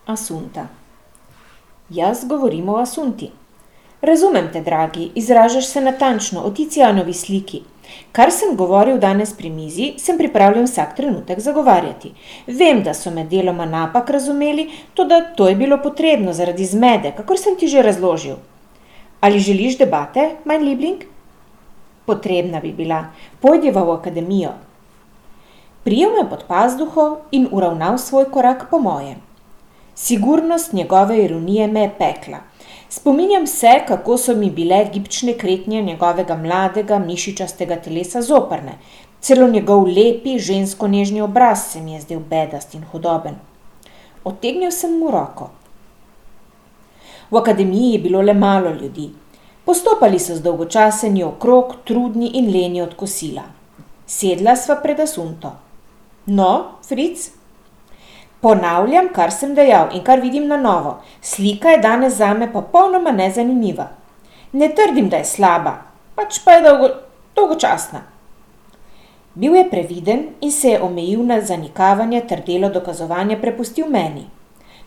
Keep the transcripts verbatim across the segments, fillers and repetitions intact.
Asunta. Jaz govorim o Asunti. Razumem te, dragi, izražaš se natančno o Tizianovi sliki. Kar sem govoril danes pri mizi, sem pripravljen vsak trenutek zagovarjati. Vem, da so me deloma napak razumeli, toda to je bilo potrebno zaradi zmede, kakor sem ti že razložil. Ali želiš debate, mein Liebling? Potrebna bi bila. Pojdiva v akademijo. Prijel me pod pazduho in uravnal svoj korak po mojem. Sigurnost njegove ironije me je pekla. Spominjam se, kako so mi bile gibčne kretnje njegovega mladega, mišičastega telesa zoprne. Celo njegov lepi, žensko nežni obraz se mi je zdel bedast in hudoben. Odtegnil sem mu roko. V akademiji je bilo le malo ljudi. Postopali so zdolgočaseni okrog, trudni in leni od kosila. Sedla sva pred Asunto. No, Fritz? Ponavljam, kar sem dejal in kar vidim na novo. Slika je danes zame popolnoma nezanimiva. Ne trdim, da je slaba, pač pa je dolgo, dolgočasna. Bil je previden in se je omejil na zanikavanje ter delo dokazovanja prepustil meni.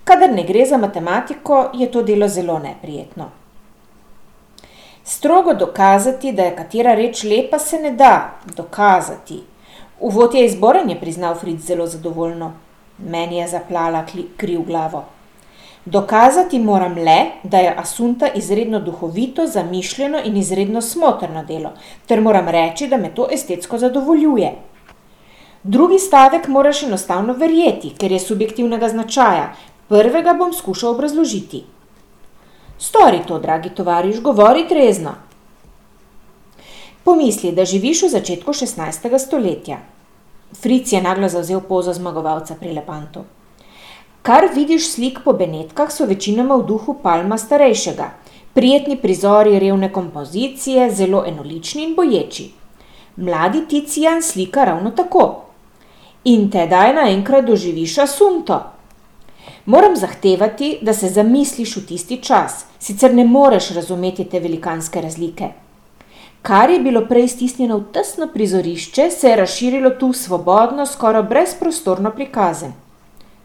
Kadar ne gre za matematiko, je to delo zelo neprijetno. Strogo dokazati, da je katera reč lepa, se ne da dokazati. Uvod je izboren, je priznal Fritz zelo zadovoljno. Meni je zaplala kri v glavo. Dokazati moram le, da je Asunta izredno duhovito, zamišljeno in izredno smotrno delo, ter moram reči, da me to estetsko zadovoljuje. Drugi stavek moraš enostavno verjeti, ker je subjektivnega značaja. Prvega bom skušal obrazložiti. Stori to, dragi tovariš, govori trezno. Pomisli, da živiš v začetku šestnajstega stoletja. Fritz je naglo zavzel pozo zmagovalca pri Lepantu. Kar vidiš slik po Benetkah, so večinoma v duhu Palma starejšega. Prijetni prizori revne kompozicije, zelo enolični in boječi. Mladi Tizian slika ravno tako. In tedaj naenkrat doživiš Asunto. Moram zahtevati, da se zamisliš v tisti čas, sicer ne moreš razumeti te velikanske razlike. Kar je bilo prej stisnjeno v tesno prizorišče, se je razširilo tu svobodno, skoraj brezprostorno prikazen.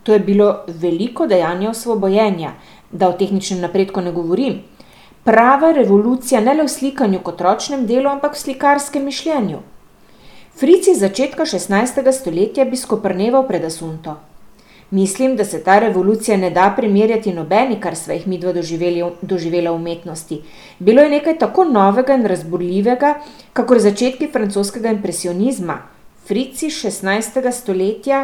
To je bilo veliko dejanje osvobojenja, da o tehničnem napredku ne govorim. Prava revolucija ne le v slikanju kot ročnem delu, ampak v slikarskem mišljenju. Fritz iz začetka šestnajstega stoletja bi skoprneval pred Asunto. Mislim, da se ta revolucija ne da primerjati nobeni, kar sva jih midva doživela v umetnosti. Bilo je nekaj tako novega in razburljivega, kakor začetki francoskega impresionizma. Fritz iz šestnajstega stoletja,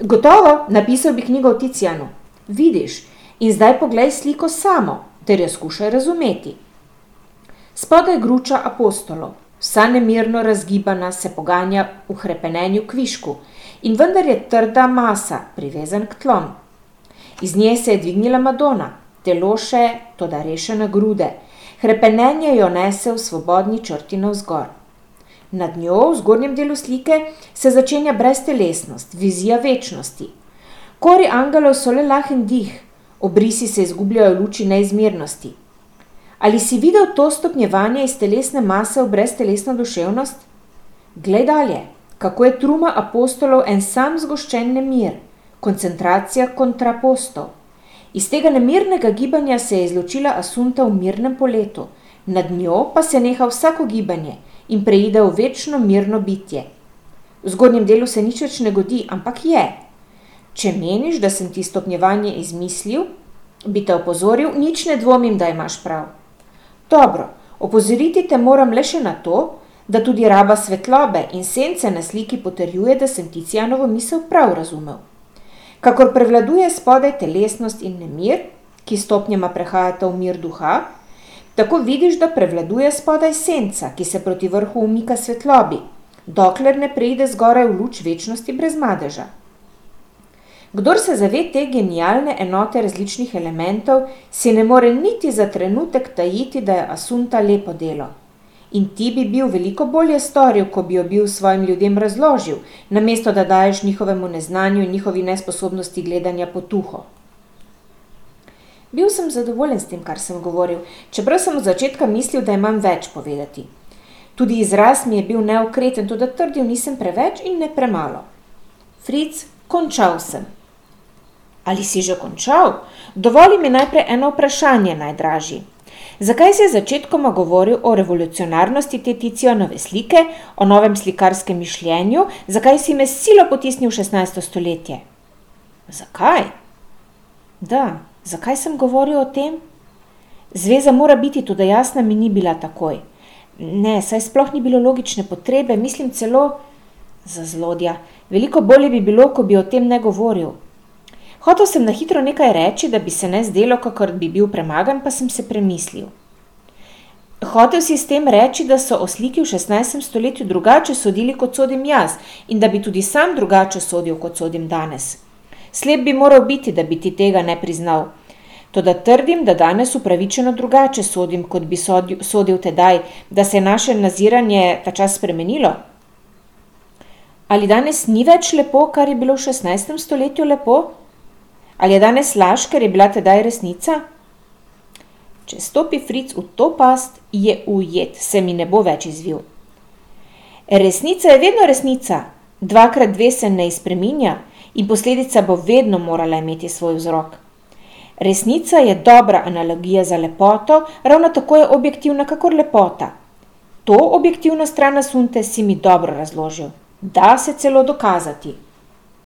gotovo, napisal bi knjigo o Tizianu. Vidiš, in zdaj poglej sliko samo, ter jo skušaj razumeti. Spodaj gruča apostolov, vsa nemirno razgibana, se poganja v hrepenenju kvišku, in vendar je trda masa, privezan k tlom. Iz nje se je dvignila Madona, telo še, toda rešena grude. Hrepenenje jo nese v svobodni črti navzgor. Nad njo, v zgornjem delu slike, se začenja breztelesnost, vizija večnosti. Kori angelov so le lahen dih, obrisi se izgubljajo v luči neizmernosti. Ali si videl to stopnjevanje iz telesne mase v breztelesno duševnost? Glej dalje. Kako je truma apostolov en sam zgoščen nemir, koncentracija kontrapostov. Iz tega nemirnega gibanja se je izločila Asunta v mirnem poletu, nad njo pa se neha vsako gibanje in preide v večno mirno bitje. V zgodnjem delu se nič več ne godi, ampak je. Če meniš, da sem ti stopnjevanje izmislil, bi te opozoril, nič ne dvomim, da imaš prav. Dobro, opozoriti te moram le še na to, da tudi raba svetlobe in sence na sliki potrjuje, da sem Tizianovo misel prav razumel. Kakor prevladuje spodaj telesnost in nemir, ki stopnjama prehajata v mir duha, tako vidiš, da prevladuje spodaj senca, ki se proti vrhu umika svetlobi, dokler ne preide zgoraj v luč večnosti brez madeža. Kdor se zave te genialne enote različnih elementov, si ne more niti za trenutek tajiti, da je Asunta lepo delo. In ti bi bil veliko bolje storil, ko bi jo bil svojim ljudem razložil, namesto da daješ njihovemu neznanju in njihovi nesposobnosti gledanja potuho. Bil sem zadovoljen s tem, kar sem govoril, čeprav sem od začetka mislil, da imam več povedati. Tudi izraz mi je bil neokreten, toda trdil nisem preveč in ne premalo. Fritz, končal sem. Ali si že končal? Dovoli mi najprej eno vprašanje, najdražji. Zakaj si začetkoma govoril o revolucionarnosti te Ticianove slike, o novem slikarskem mišljenju, zakaj si me s silo potisnil v šestnajsto stoletje? Zakaj? Da, zakaj sem govoril o tem? Zveza mora biti, tudi jasna mi ni bila takoj. Ne, saj sploh ni bilo logične potrebe, mislim celo za zlodja. Veliko bolje bi bilo, ko bi o tem ne govoril. Hotel sem na hitro nekaj reči, da bi se ne zdelo, kakor bi bil premagan, pa sem se premislil. Hotel si s tem reči, da so o sliki v šestnajstem stoletju drugače sodili, kot sodim jaz, in da bi tudi sam drugače sodil, kot sodim danes. Slep bi moral biti, da bi ti tega ne priznal. Toda trdim, da danes upravičeno drugače sodim, kot bi sodil, sodil tedaj, da se je naše naziranje ta čas spremenilo. Ali danes ni več lepo, kar je bilo v šestnajstem stoletju lepo? Ali je danes laž, ker je bila tedaj resnica? Če stopi Fric v to past, je ujet, se mi ne bo več izvil. Resnica je vedno resnica, dvakrat dve se ne spreminja in posledica bo vedno morala imeti svoj vzrok. Resnica je dobra analogija za lepoto, ravno tako je objektivna kakor lepota. To objektivno stran asunte si mi dobro razložil. Da se celo dokazati.